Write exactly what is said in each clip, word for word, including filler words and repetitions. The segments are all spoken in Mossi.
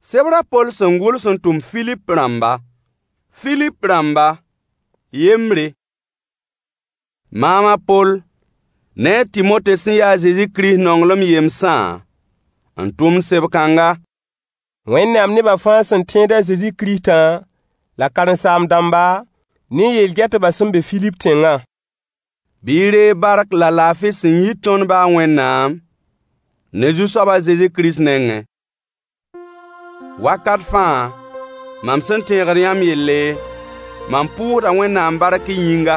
Sebr a Poll sẽn gʋls n tʋm Filip rãmba. Filip rãmba, yembre. Maam a Poll ne a Tɩmote sẽn ya a Zezi Kirist nonglem yemsã n tʋmd seb-kãnga. Wẽnnaam nebã fãa sẽn tẽed a Zezi Kiristã la karen-saam-dãmba ne yel-gɛtbã sẽn be Filip tẽngã. Bɩ y reeg bark la laafɩ sẽn yit tõnd ba a Wẽnnaam ne Zu-soab a Zezi Kirist nengẽ. Wakat fãa, mam sẽn tẽegd yãmb yelle, mam pʋʋsda Wẽnnaam bark y yĩnga.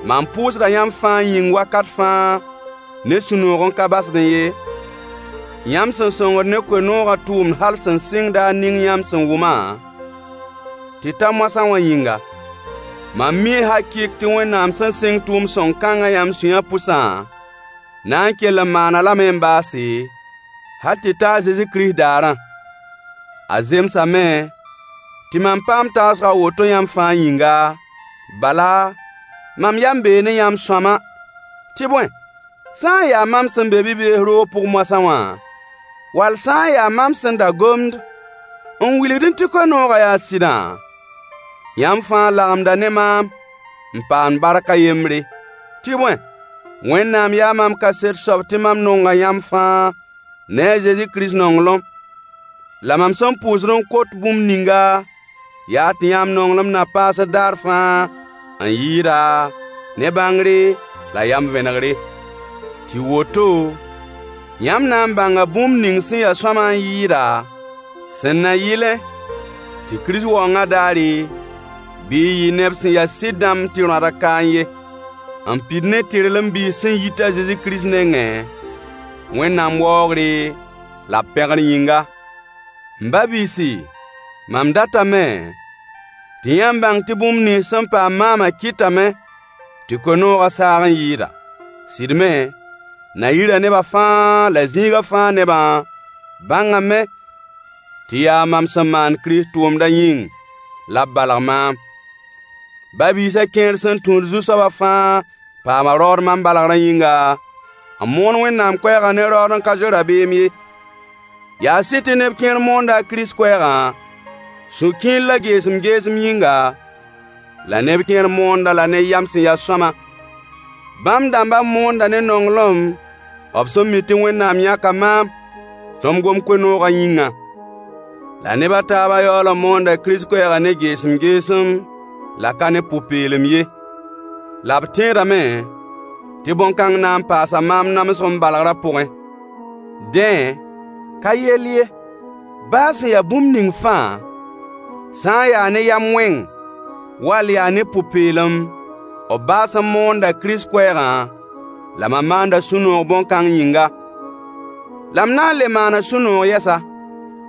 Mam pʋʋsda yãmb fãa yĩng wakat fãa ne sũ-noog n ka basdẽ ye, yãmb sẽn sõngd ne koe-noogã tʋʋmd hal sẽn sɩng daar ning yãmb sẽn wʋmã tɩ ta moasã wã yĩnga. Mam mii hakɩɩk tɩ Wẽnnaam sẽn sɩng tʋʋm-sõng kãngã yãmb sũyã pʋsã, na n kell n maan-a lame n baase, hal tɩ ta a Zezi Kirist daarã. A zemsame tɩ mam paam taasg a woto yãmb fãa yĩnga, bala, mam yam bee ne yãmb sõama. Tɩ bõe, sã n ya mam sẽn be bi-bees roog pʋg moasã wã, wall sã n ya mam sẽn da gomd n wilgdẽ tɩ koe-noogã yaa sɩdã, yãmb fãa lagmda ne maam n paamd bark a yembre. Tɩ bõe, Wẽnnaam yaa mam kaset soab tɩ mam nonga yãmb fãa ne a Zezi Kirist nonglem. La mam sẽn pʋʋsd n kot bũmb ninga yaa tɩ yãmb nonglem na paasd daar fãa n yɩɩda ne bãngre la yam vẽnegre. Tɩ woto, yãmb na n bãnga bũmb ning sẽn ya sõama n yɩɩda, sẽn na yɩlẽ tɩ Kirist waoongã daare, bɩ y yɩ neb sẽn ya sɩd dãmb tɩ rõadg kaẽ ye, n pid ne tɩrlem biis sẽn yit a Zezi Kirist nengẽ, Wẽnnaam waoogre la b pẽgr yĩnga. M ba-biisi, mam datame tɩ yãmb bãng tɩ bũmb nins sẽn paam maamã kɩtame tɩ koe-noogã saag n yɩɩda. Sɩd me, na-yirã nebã fãa la zĩigã fãa nebã bãngame tɩ yaa mam sẽn maan Kirist tʋʋmdã yĩng la b balg maam. Ba-biisã kẽer sẽn tũud Zu-soabã fãa paama raood mam balgrã yĩnga, n moon Wẽnnaam koɛɛgã ne raood n ka zoe rabeem ye. Yaa sɩd tɩ neb kẽer moonda a Kirist koɛɛgã sũ-kiir la geesem-geesem yĩnga, la neb kẽer moond-a la ne yam sẽn ya sõama. Bãmb dãmbã moonda ne nonglem b sẽn mi tɩ Wẽnnaam yãka maam tɩ m gom koe-noogã yĩngã. La neb a taabã yaool n moonda Kirist koɛɛgã ne geesem-geesem la ka ne pʋ-peelem ye. La b tẽedame tɩ bõn-kãng na n paasa maam namsg m balgrã pʋgẽ. Dẽ, ka yell ye, baa sẽn ya bũmb ning fãa, sã n ya ne yam wẽng wall yaa ne pʋ-peelem, b baas n moonda Kirist koɛɛgã, la mam maanda sũ-noog bõn-kãng yĩnga. La m na n le maana sũ-noog yɛsa.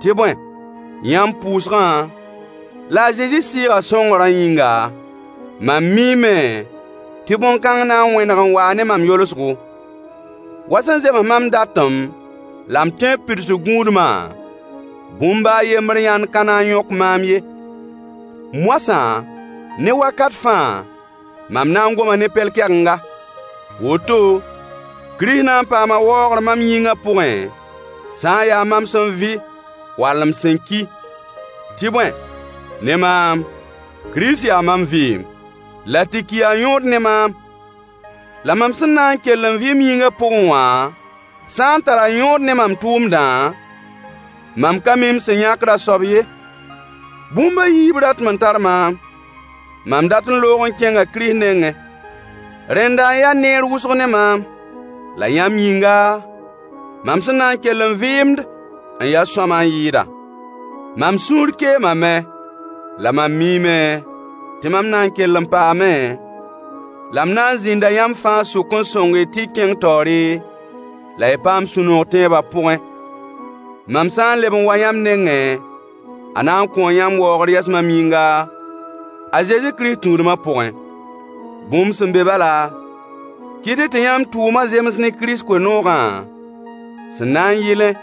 Tɩ bõe, yãmb pʋʋsgã la a Zezi Sɩɩgã sõngrã yĩnga, mam miime tɩ bõn-kãng na n wẽneg n waa ne mam yolsgo. Wa sẽn zems mam datem la m tẽeb pidsg gũudmã, bũmb baa a yembr yãnd ka na n yõk maam ye. Moasã, ne wakat fãa, mam na n goma ne pɛl-kɛgenga. Woto, Kirist na n paama waoogr mam yĩngã pʋgẽ, sã n ya mam sẽn vɩ wall m sẽn ki. Tɩ bõe, ne maam, Kirist yaa mam vɩɩm, la tɩ ki yaa yõod ne maam. La mam sẽn na n kell n vɩ m yĩngã pʋgẽ wã sã n tara yõod ne mam tʋʋmdã, mam ka mi m sẽn yãkd a soab ye. Bũmb a yiib ratem n tar maam. Mam dat n loog n kẽnga Kirist nengẽ. Rẽnda n ya neer wʋsg ne maam. La yãmb yĩnga, mam sẽn na n kell n vɩɩmd n ya sõama n yɩɩda. Mam sũur keemame, la mam miime tɩ mam na n kell n paame, la m na n zĩnda yãmb fãa sʋk n sõng-y tɩ y kẽng taoore, la y paam sũ-noog tẽebã pʋgẽ. Mam sã n leb n wa yãmb nengẽ, a na n kõo yãmb waoogr yɛs mam yĩnga, a Zezi Kirist tũudmã pʋgẽ. Bũmb sẽn be bala, kɩt-y tɩ yãmb tʋʋmã zems ne Kirist koe-noogã sẽn na n yɩlẽ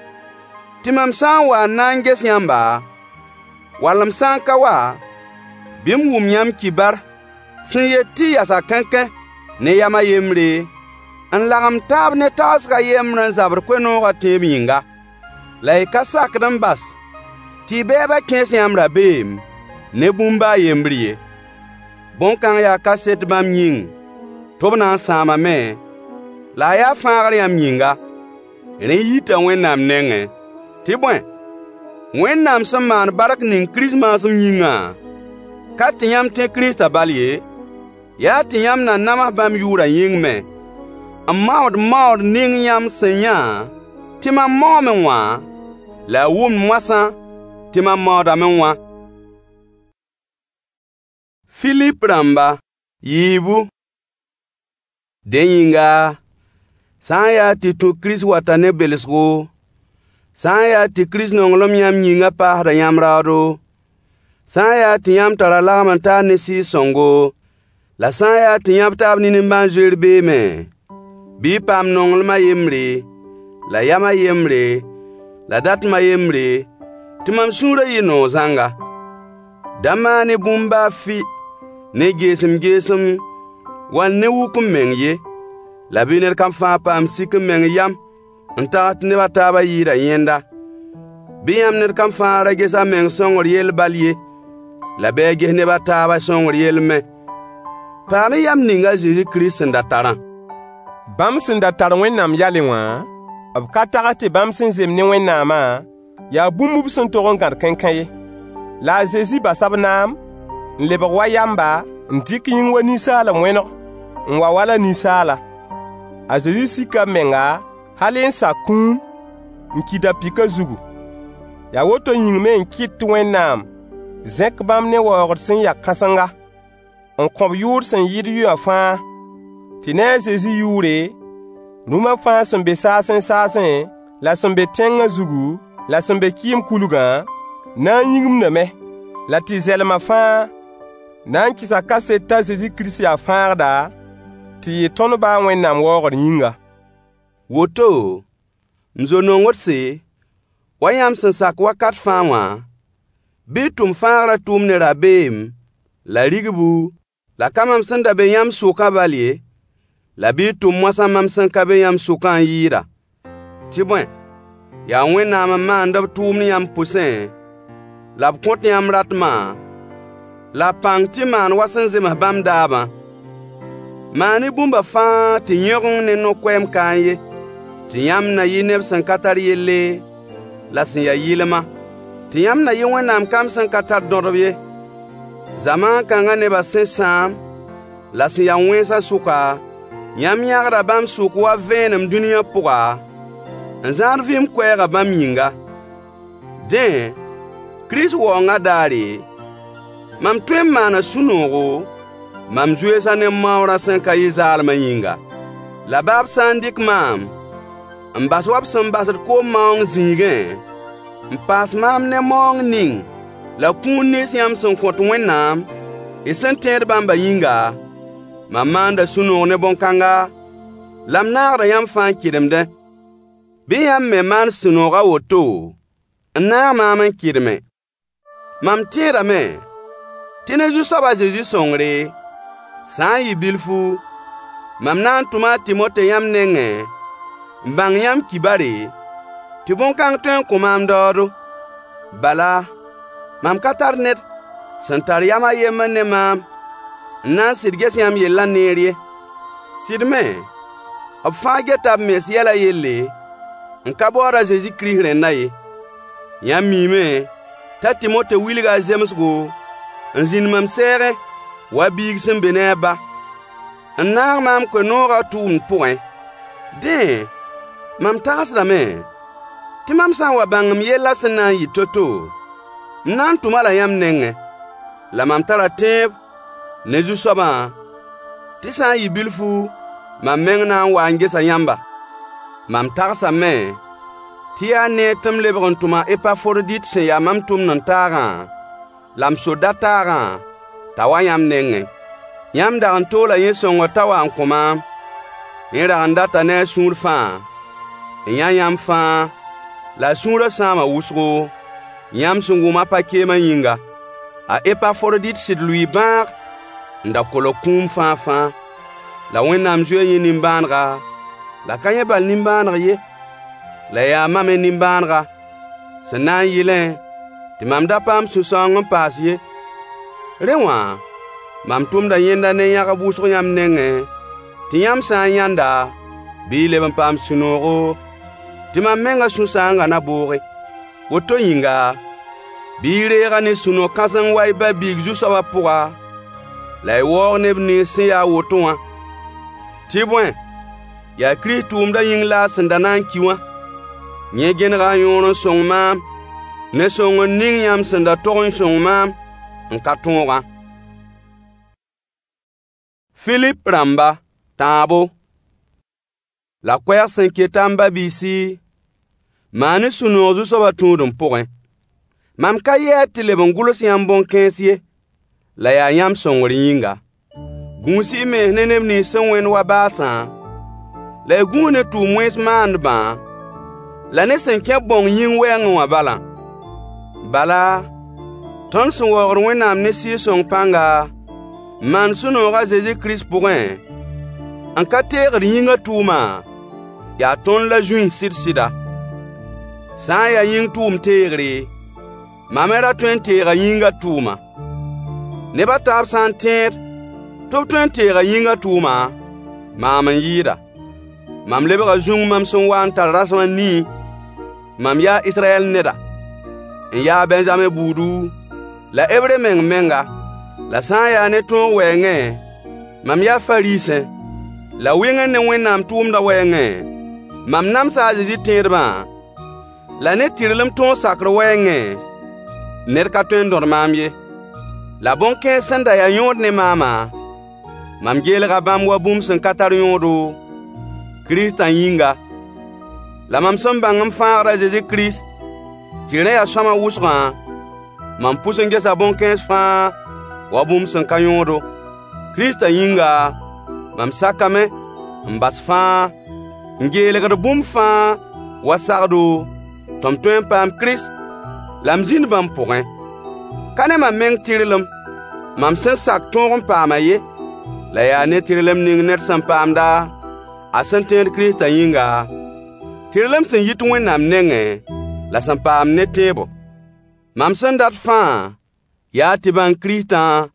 tɩ mam sã n wa n na n ges yãmba, wall m sã n ka wa, bɩ m wʋm yãmb kibar sẽn yet tɩ y yasa kãnkã ne yam a yembre, n lagem taab ne tagsg a yembr n zabd koe-noogã tẽeb yĩnga. La y ka sakd n bas Tɩ y bɛɛbã kẽes yãmb rabeem ne bũmb baa a yembr ye. Bõn-kãng yaa kaset bãmb yĩng tɩ b na n sãamame, la a yaa fãagr yãmb yĩnga. Rẽ yita Wẽnnaam nengẽ. Tɩ bõe, Wẽnnaam sẽn maan bark ning Kirist maasem yĩngã, ka tɩ yãmb tẽ Kiristã bal ye, yaa tɩ yãmb na nams bãmb yʋʋrã yĩng me, n maood maood ning yãmb sẽn yã tɩ mam maoome wã, la y wʋmd moasã tɩ mam maoodame wã. Filip rãmba yiibu. Dẽ yĩnga, sã n yaa tɩ tũ Kirist wata ne belsgo, sã n yaa tɩ Kirist nonglem yãmb yĩngã paasda yãmb raoodo, sã n yaa tɩ yãmb tara lagem-n-taar ne Sɩɩg-sõngo, la sã n yaa tɩ yãb taab ne nimbãan-zoeer beeme, bɩ y paam nonglem a yembre, la yam a yembre, la datem a yembre, tɩ mam sũurã yɩ noog zãnga. Da maan-y bũmb baa fɩ ne geesem-geesem wall ne wuk-m-meng ye, la bɩ ned kam fãa paam sik-m-meng yam n tags tɩ neb a taabã yɩɩda yẽnda. Bɩ yãmb ned kam fãa ra ges a meng sõngr yell bal ye, la bɩ a ges neb a taabã sõngr yell me. Paam-y yam ning a Zezi Kirist sẽn da tarã. Bãmb sẽn da tar Wẽnnaam yalẽ wã, b ka tags tɩ bãmb sẽn zemb ne Wẽnnaamã yaa bũmb b sẽn tog n gãd kãenkãe ye. La a Zezi basa b naam, n lebg wa yamba, n dɩk yĩng wa ninsaal n wẽneg, n wa wala ninsaala. A Zezi sika b menga hal n sak kũum, n ki da-pɩkã zugu. Yaa woto yĩng me n kɩt tɩ Wẽnnaam zẽk bãmb ne waoogd sẽn ya kãsenga, n kõ-b yʋʋr sẽn yɩɩd yʋyã fãa, tɩ ne a Zezi yʋʋre, rũmã fãa sẽn be saasẽ-saasẽ, la sẽn be tẽngã zugu, la sẽn be kɩɩm kulgã, na n yĩgimdame, la tɩ zɛlma fãa na n kɩsa kaset t'a Zezi Kirist yaa Fãagda, tɩ yɩ tõnd ba a Wẽnnaam waoogr yĩnga. Woto, m zo-nongdse, wa yãmb sẽn sak wakat fãa wã, bɩ y tʋm fãagrã tʋʋmd ne rabeem la rigbu, la ka mam sẽn da be yãmb sʋkã bal ye, la bɩ y tʋm moasã mam sẽn ka be yãmb sʋkã n yɩɩda. Tɩ bõe, yaa Wẽnnaam n maand b tʋʋmd yãmb pʋsẽ, la b kõt yãmb ratmã la pãng tɩ y maan wa sẽn zems bãmb daabã. Maan-y bũmba fãa tɩ yẽgeng ne no-koɛɛm kaẽ ye, tɩ yãmb na yɩ neb sẽn ka tar yelle la sẽn ya yɩlma, tɩ yãmb na yɩ Wẽnnaam kamb sẽn ka tar dõdb ye. Zamaan kãngã nebã sẽn sãam la sẽn ya wẽnsã sʋka, yãmb yãgda bãmb sʋk wa vẽenem dũniyã pʋga, n zãad vɩɩm koɛɛgã bãmb yĩnga. Dẽ, Kirist waoongã daare, mam tõe n maana sũ-noogo, mam zoeesã ne m maoorã sẽn ka yɩ zaalmã yĩnga. La baa b sã n dɩk maam n bas wa b sẽn basd koom maoong zĩigẽ, n paas maam ne maoong ning la kũun nins yãmb sẽn kõt Wẽnnaam, y sẽn tẽed bãmbã yĩnga, mam maanda sũ-noog ne bõn-kãnga, la m naagda yãmb fãa n kɩdemdẽ. Bɩ yãmb me maan sũ-noog a woto n naag maam n kɩdeme. Mam tẽedame tɩ ne Zu-soab a Zezi sõngre, sã n yɩ bilfu, mam na n tʋma a Tɩmote yãmb nengẽ n bãng yãmb kibare, tɩ bõn-kãng tõe n kõ maam daoodo. Bala, mam ka tar ned sẽn tar yam a yembr ne maam n na n sɩd ges yãmb yellã neer ye. Sɩd me, b fãa geta b mens yɛlã yelle, n ka baood a Zezi Kirist rẽndã ye. Yãmb miime t'a Tɩmote wilga a zemsgo n zĩnd mam sɛɛgẽ wa biig sẽn be ne a ba, n naag maam koe-noogã tʋʋmd pʋgẽ. Dẽ, mam tagsdame tɩ mam sã n wa bãng m yellã sẽn na n yɩ to-to, m na n tʋm-a-la yãmb nengẽ. La mam tara tẽeb ne Zu-soabã tɩ sã n yɩ bilfu, mam meng na n waa n gesa yãmba. Mam tagsame tɩ yaa neer tɩ m lebg n tʋm a Epaforodit sẽn ya mam tʋmd-n-taagã la m soda-taagã t'a wa yãmb nengẽ. Yãmb dag n toola yẽ sõngr t'a wa n kõ maam. Yẽ dag n data ne a sũur fãa n yã yãmb fãa, la a sũurã sãama wʋsgo, yãmb sẽn wʋm a pa-keemã yĩnga. A Epaforodit sɩd lʋɩɩ bãag n da kolg kũum fãa-fãa. La Wẽnnaam zoe yẽ nimbãanega, la ka yẽ bal nimbãaneg ye, la yaa mam me nimbãanega, sẽn na n yɩlẽ tɩ mam da paam sũ-sãoong n paas ye. Rẽ wã, mam tʋmda yẽnda ne yãgb wʋsg yãmb nengẽ, tɩ yãmb sã n yãnd-a, bɩ y leb n paam sũ-noogo, tɩ mam mengã sũ-sãoongã na booge. Woto yĩnga, bɩ y reeg-a ne sũ-no-kãseng wa y ba-biig Zu-soabã pʋga, la y waoog neb nins sẽn ya a woto wã. Tɩ bõe, yaa Kirist tʋʋmdã yĩng la a sẽn da na n ki wã. Yẽ gẽnega a yõor n sõng maam ne sõngr ning yãmb sẽn da tog n sõng maam n ka tõogã. Filip rãmba, tãabo. La koɛɛg sẽn keta m ba-biisi, maan-y sũ-noog Zu-soabã tũudem pʋgẽ. Mam ka yɛɛd tɩ leb n gʋls yãmb bõn-kãens ye, la yaa yãmb sõngr yĩnga. Gũus-y y mens ne neb nins sẽn wẽnd wa baasã, la y gũus ne tʋʋm-wẽns maandbã, la ne sẽn kẽ bãong yĩng wɛɛngẽ wã balã. Bala, tõnd sẽn waoogd Wẽnnaam ne Sɩɩg-sõng pãnga, n maand sũ-noog a Zezi Kirist pʋgẽ, n ka teegd yĩngã tʋʋma, yaa tõnd la zũis sɩd-sɩda. Sã n ya yĩng tʋʋm teegre, mam me ra tõe n teega yĩngã tʋʋma. Neb a taab sã n tẽed tɩ b tõe n teega yĩngã tʋʋma, maam n yɩɩda. Mam lebga zũng mam sẽn wa n tar rasem a nii. Mam yaa Israyɛl neda, n ya a Bɛnzame buudu, la Hebre meng menga. La sã n yaa ne tõog wɛɛngẽ, mam yaa Fariisẽ. La wẽngr ne Wẽnnaam tʋʋmdã wɛɛngẽ, mam namsa a Zezi tẽedbã, la ne tɩrlem tõog sakr wɛɛngẽ, ned ka tõe n dõd maam ye. La bõn-kãens sẽn da ya yõod ne maamã, mam geelga bãmb wa bũmb sẽn ka tar yõodo, Kiristã yĩnga. La mam sẽn bãng m Fãagd a Zezi Kirist tɩ rẽ yaa sõama wʋsgã, mam pʋs n gesa bõn-kãens fãa wa bũmb sẽn ka yõodo. Kiristã yĩnga, mam sakame n bas fãa, n geelgd bũmb fãa wa sagdo, tɩ m tõe n paam Kirist la m zĩnd bãmb pʋgẽ. Ka ne mam meng tɩrlem, mam sẽn sak tõog n paama ye, la yaa ne tɩrlem ning ned sẽn paamda a sẽn tẽed Kiristã yĩnga, tɩrlem sẽn yit Wẽnnaam nengẽ, la sẽn paam ne tẽebo. Mam sẽn dat fãa yaa tɩ bãng Kiristã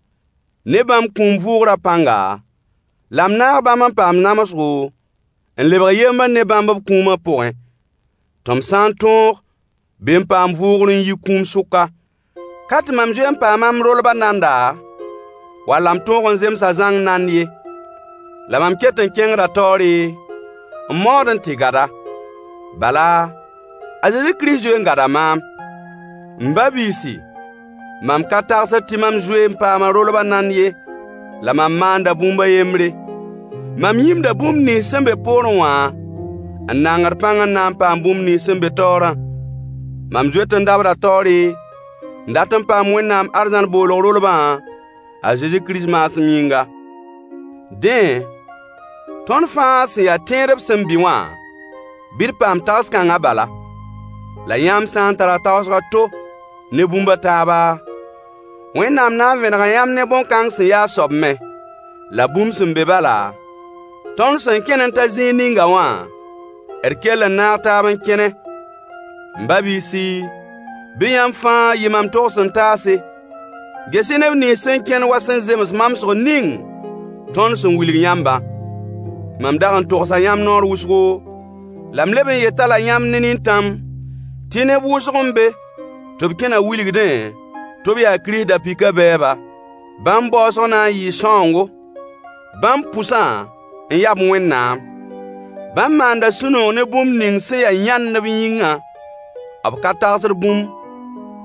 ne bãmb kũum vʋʋgrã pãnga, la m naag bãmb n paam namsgo, n lebg yembr ne bãmb b kũumã pʋgẽ, tɩ m sã n tõog, bɩ m paam vʋʋgr n yi kũum sʋka. Ka tɩ mam zoe n paama m rolbã nanda, walla m tõog n zemsa zãng nand ye. La mam ket n kẽngda taoore, n maood n tɩ gada. Bala, a Zezi Kirist zoe n gada maam. M ba-biisi, mam ka tagsd tɩ mam zoe n paama rolbã nand ye, la mam maanda bũmb a yembre. Mam yĩmda bũmb nins sẽn be poorẽ wã n nangd pãng n na n paam bũmb nins sẽn be taoorã. Mam zoet n dabda taoore n dat n paam Wẽnnaam arzãn boolg rolbã a Zezi Kirist maasem yĩnga. Dẽ, tõnd fãa sẽn ya tẽedb sẽn bɩ wã, bɩ d paam tags-kãngã bala. La yãmb sã n tara tagsg a to ne bũmb a taaba, Wẽnnaam na n vẽnega yãmb ne bõn-kãng sẽn ya a soab me. La bũmb sẽn be bala, tõnd sẽn kẽn n ta zĩig ninga wã, d kell n naag taab n kẽne. M ba-biisi, bɩ yãmb fãa yɩ mam togs-n-taase. Ges-y neb nins sẽn kẽnd wa sẽn zems mamsg ning tõnd sẽn wilg yãmbã. Mam dag n togsa yãmb noor wʋsgo, la m leb n yet-a-la yãmb ne nintãm tɩ neb wʋsg n be tɩ b kẽna wilgdẽ tɩ b yaa Kirist da-pɩkã bɛɛba. Bãmb baoosg na n yɩɩ sãoongo. Bãmb pʋsã n yab Wẽnnaam. Bãmb maanda sũ-noog ne bũmb ning sẽn ya yãnd b yĩngã. B ka tagsd bũmb,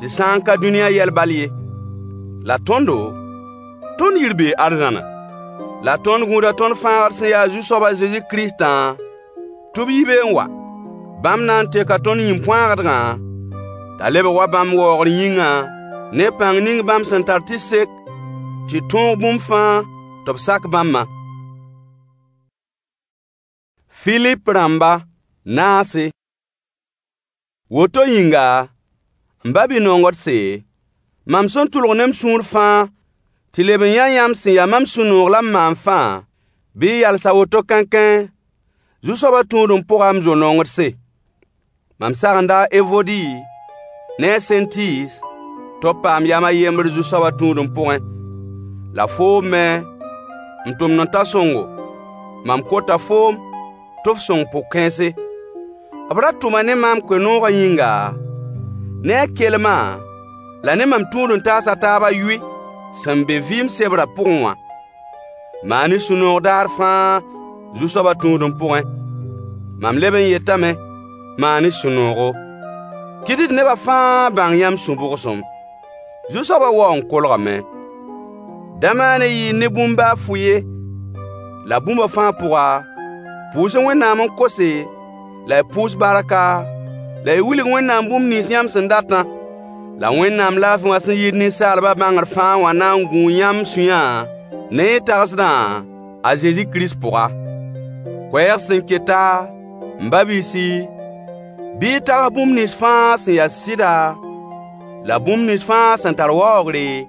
tɩ sã n ka dũniyã yɛl bal ye. La tõndo, tõnd yir bee arzãna. La tõnd gũuda tõnd Fãagd sẽn ya Zu-soab a Zezi Kiristã tɩ b yi be n wa. Bãmb na n teka tõnd yĩn-põaagdgã t'a lebg wa bãmb waoogr yĩngã, ne pãng ning bãmb sẽn tar tɩ sek tɩ tõog bũmb fãa tɩ b sak bãmbã. Filip rãmba, naase. Woto yĩnga, m ba-bi-nongdse, mam sẽn tʋlg ne m sũur fãa tɩ leb n yã yãmb sẽn ya mam sũ-noog la m maan fãa, bɩ y yals a woto kãnkãe Zu-soabã tũudem pʋga m zo-nongdse. Mam sagenda a Evodi ne a Sẽntis tɩ b paam yam a yembr Zu-soabã tũudem pʋgẽ. La foom me, m tʋmd-n-ta sõngo, mam kota foom tɩ f sõng pʋg-kãense. B ra tʋma ne maam koe-noogã yĩnga, ne a kelmã la ne mam tũud-n-taas a taab a yoe sẽn be vɩɩm sebrã pʋgẽ wã. Maan-y sũ-noog daar fãa Zu-soabã tũudem pʋgẽ. Mam leb n yetame: maan-y sũ-noogo. Kɩt-y tɩ neba fãa bãng yãmb sũ-bʋgsem. Zu-soabã wao n kolgame. Da maan-y yɩɩr ne bũmb baa fʋ ye, la bũmba fãa pʋga, pʋʋs-y Wẽnnaam n kose, la y pʋʋs barka, la y wilg Wẽnnaam bũmb nins yãmb sẽn datã. La Wẽnnaam laafɩ wã sẽn yit ninsaalbã bãngr fãa wã na n gũu yãmb sũyã ne y tagsdã a Zezi Kirist pʋga. Koɛɛg sẽn keta, m ba-biisi, bɩ y tags bũmb nins fãa sẽn ya sɩda, la bũmb nins fãa sẽn tar waoogre,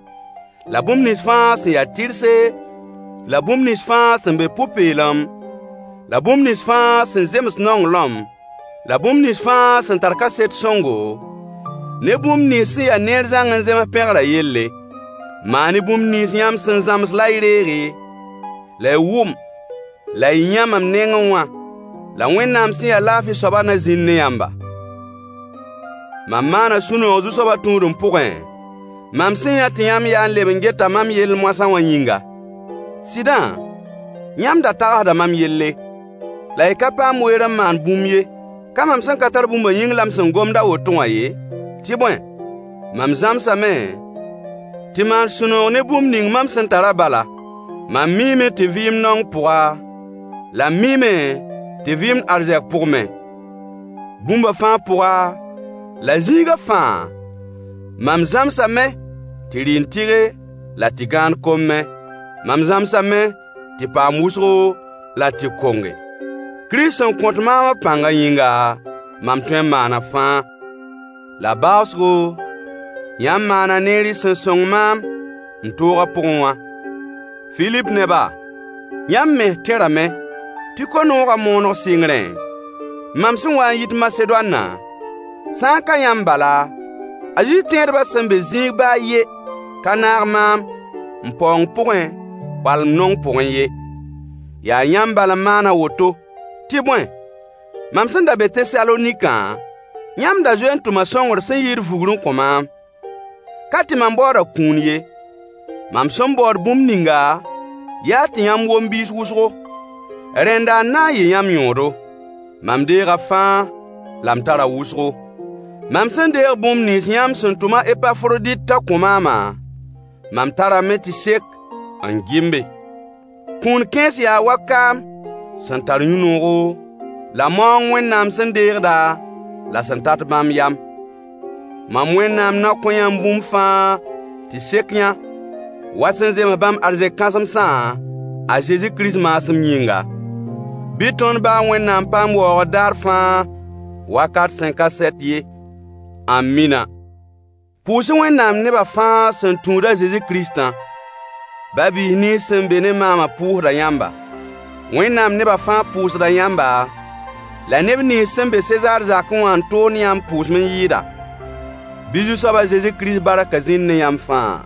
la bũmb nins fãa sẽn ya tɩrse, la bũmb nins fãa sẽn be pʋ-peelem, la bũmb nins fãa sẽn zems nonglem, la bũmb nins fãa sẽn tar kaset sõngo, ne bũmb nins sẽn ya neer zãng n zems pẽgrã yelle. Maan-y bũmb nins yãmb sẽn zãms la y reege, la y wʋm, la y yã mam nengẽ wã. La Wẽnnaam sẽn ya laafɩ soabã na zĩnd ne yãmba. Mam maana sũ-noog Zu-soabã tũudem pʋgẽ, mam sẽn yã tɩ yãmb yaa n leb n geta mam yell moasã wã yĩnga. Sɩdã, yãmb da tagsda mam yelle, la y ka paam weer n maan bũmb ye. Ka mam sẽn ka tar bũmbã yĩng la m sẽn gomd a woto wã ye? Tɩ bõe, mam zãmsame tɩ maan sũ-noog ne bũmb ning mam sẽn tarã bala. Mam miime tɩ vɩɩm naong pʋga, la m miime tɩ vɩɩmd arzɛk pʋg me. Bũmba fãa pʋga, la zĩigã fãa, mam zãmsame tɩ rɩ n tɩge la tɩ gãand kom me. Mam zãmsame tɩ paam wʋsgo la tɩ konge. Kirist sẽn kõt maam a pãngã yĩnga, mam tõe n maana fãa. La baoosgo, yãmb maana neer y sẽn sõng maam m toogã pʋgẽ wã. Filip neba, yãmb mens tẽrame tɩ koe-noogã mooneg sɩngrẽ, mam sẽn wa n yit Masedoanã, sã n ka yãmb bala, a Zezi tẽedbã sẽn be zĩig baa a yen ka naag maam m paoong pʋgẽ wall m naong pʋgẽ ye. Yaa yãmb bal n maan a woto. Tɩ bõe, mam sẽn da be Tesalonikã, yãmb da zoe n tʋma sõngr sẽn yɩɩd vugr n kõ maam. Ka tɩ mam baooda kũun ye. Mam sẽn baood bũmb ninga, yaa tɩ yãmb wom biis wʋsgo. Rẽnda n na n yɩ yãmb yõodo. Mam deega fãa, la m tara wʋsgo. Mam sẽn deeg bũmb nins yãmb sẽn tʋm a Epafrodit t'a kõ maamã, mam tarame tɩ sek n gɩmbe. Kũun kãens yaa wa kaam sẽn tar yũ-noogo, la maoong Wẽnnaam sẽn deegda la sẽn tat bãmb yam. Mam Wẽnnaam na kõ yãmb bũmb fãa tɩ sek yã, wa sẽn zems bãmb arzɛk kãsemsã a Zezi Kirist maasem yĩnga. Bɩ tõnd ba a Wẽnnaam paam waoogr daar fãa, wakat sẽn ka sɛt ye. Amina. Pʋʋs-y Wẽnnaam neba fãa sẽn tũud a Zezi Kiristã. Ba-biis nins sẽn be ne maamã pʋʋsda yãmba. Wẽnnaam neba fãa pʋʋsda yãmba, la neb nins sẽn be Sezaar zakẽ wã n toond yãmb pʋʋsem n yɩɩda. Bɩ Zu-soab a Zezi Kirist barkã zĩnd ne yãmb fãa.